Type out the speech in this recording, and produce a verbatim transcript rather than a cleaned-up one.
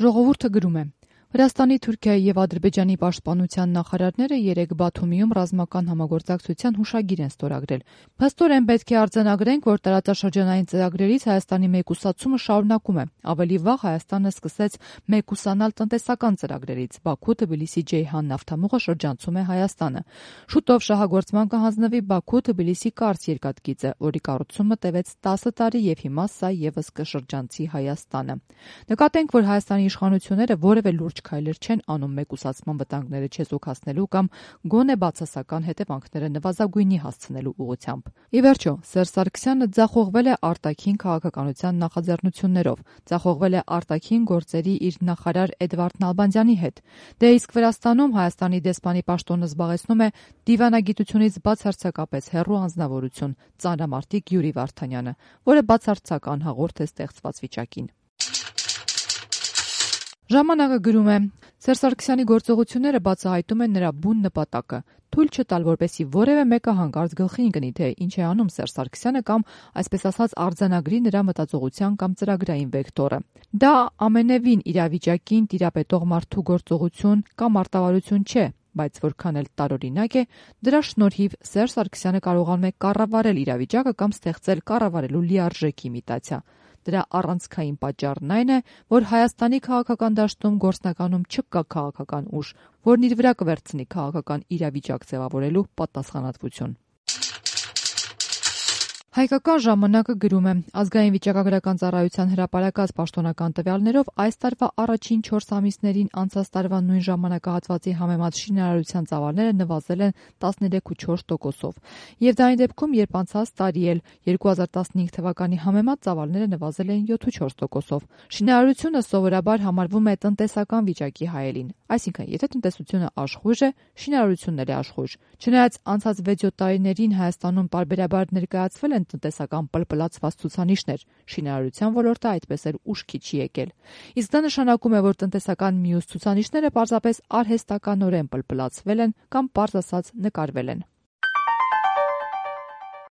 Ժողովուրդը գրում է. Վրաստանի, Թուրքիայի եւ Ադրբեջանի պաշտպանության նախարարները երեկ Բաթումիում ռազմական համագործակցության հուշագիր են ստորագրել։ Փաստորեն պետք է արձանագրենք, որ տարածաշրջանային ծրագրերից Հայաստանի մեկուսացումը շարունակում է։ Ավելի վաղ Հայաստանը սկսեց մեկուսանալ տնտեսական ծրագրերից։ Բաքու-Թբիլիսի-Ջեյհան նավթամուղը շրջանցում է Հայաստանը։ Շուտով շահագործման կհանձնվի Բաքու-Թբիլիսի կարճ երկաթգիծը, որի կառուցումը տևեց տասը տարի եւ հիմա սա եւս կշրջանցի Հայաստանը։ Նկատենք, որ Հայաստանի իշխանությունները որևէ լուրջ քայլեր չեն անում մեկուսացման վտանգները չեզոքացնելու կամ գոնե բացասական հետևանքները նվազագույնի հասցնելու ուղղությամբ։ Ի վերջո, Սերժ Սարգսյանը ձախողվել է արտաքին քաղաքականության նախաձեռնություններով, ձախողվել է արտաքին գործերի իր նախարար Էդվարդ Նալբանդյանի հետ։ Դե իսկ Վրաստանում Հայաստանի դեսպանի պաշտոնը զբաղեցնում է դիվանագիտությունից բացարձակապես հեռու անձնավորություն ծանրամարտիկ Յուրի Վարդանյանը, որը բացարձակ անհաղորդ է ստեղծված վիճակին։ Ժամանակը գրում է. Սերժ Սարգսյանի գործողությունները բացահայտում են նրա բուն նպատակը՝ թույլ չտալ, որպեսզի որևէ մեկը հանկարծ գլխի ընկնի, թե ինչ է անում Սերժ Սարգսյանը կամ, այսպես ասած, արձանագրի նրա մտածողության կամ ծրագրային վեկտորը։ Դա ամենևին իրավիճակին տիրապետող մարդու գործողություն կամ արտավարություն չէ, բայց որքան էլ տարօրինակ է, դրա շնորհիվ Սերժ Սարգսյանը կարողանում է կառավարել իրավիճակը կամ ստեղծել կառավարելու լիարժեք իմիտացիա։ Դրա առանցքային պատճառն այն է, որ Հայաստանի քաղաքական դաշտում գործնականում չկա քաղաքական ուժ, որն իր վրա կվերցնի քաղաքական իրավիճակ ձևավորելու պատասխանատվություն։ Հայկական ժամանակը գրում է. Ազգային վիճակագրական ծառայության հրապարակած պաշտոնական տվյալներով այս տարվա առաջին չորս ամիսներին անցած տարվա նույն ժամանակահատվածի համեմատ շինարարության ծավալները նվազել են տասներեք կόμμα չորս տոկոսով։ Եվ դա այն դեպքում, երբ անցած տարի էլ երկու հազար տասնհինգ թվականի համեմատ ծավալները նվազել են յոթ կόμma չորս տոկոսով։ Շինարարությունը սովորաբար համարվում է տնտեսական վիճակի հայելին, այսինքն եթե տնտեսությունը աշխույժ է, շինարարությունն էլ է աշխույժ։ Չնայած անցած վեց-յոթ տարիներին Հայաստանում պարբերաբար ներկայացվել են տնտեսական պլպլացված ցուցանիշներ, շինարարության ոլորտը այդպես էլ ուշքի չի եկել։ Իսկ դա նշանակում է, որ տնտեսական մյուս ցուցանիշները պարզապես արհեստականորեն պլպլացվել են կամ պարզ ասած նկարվել են։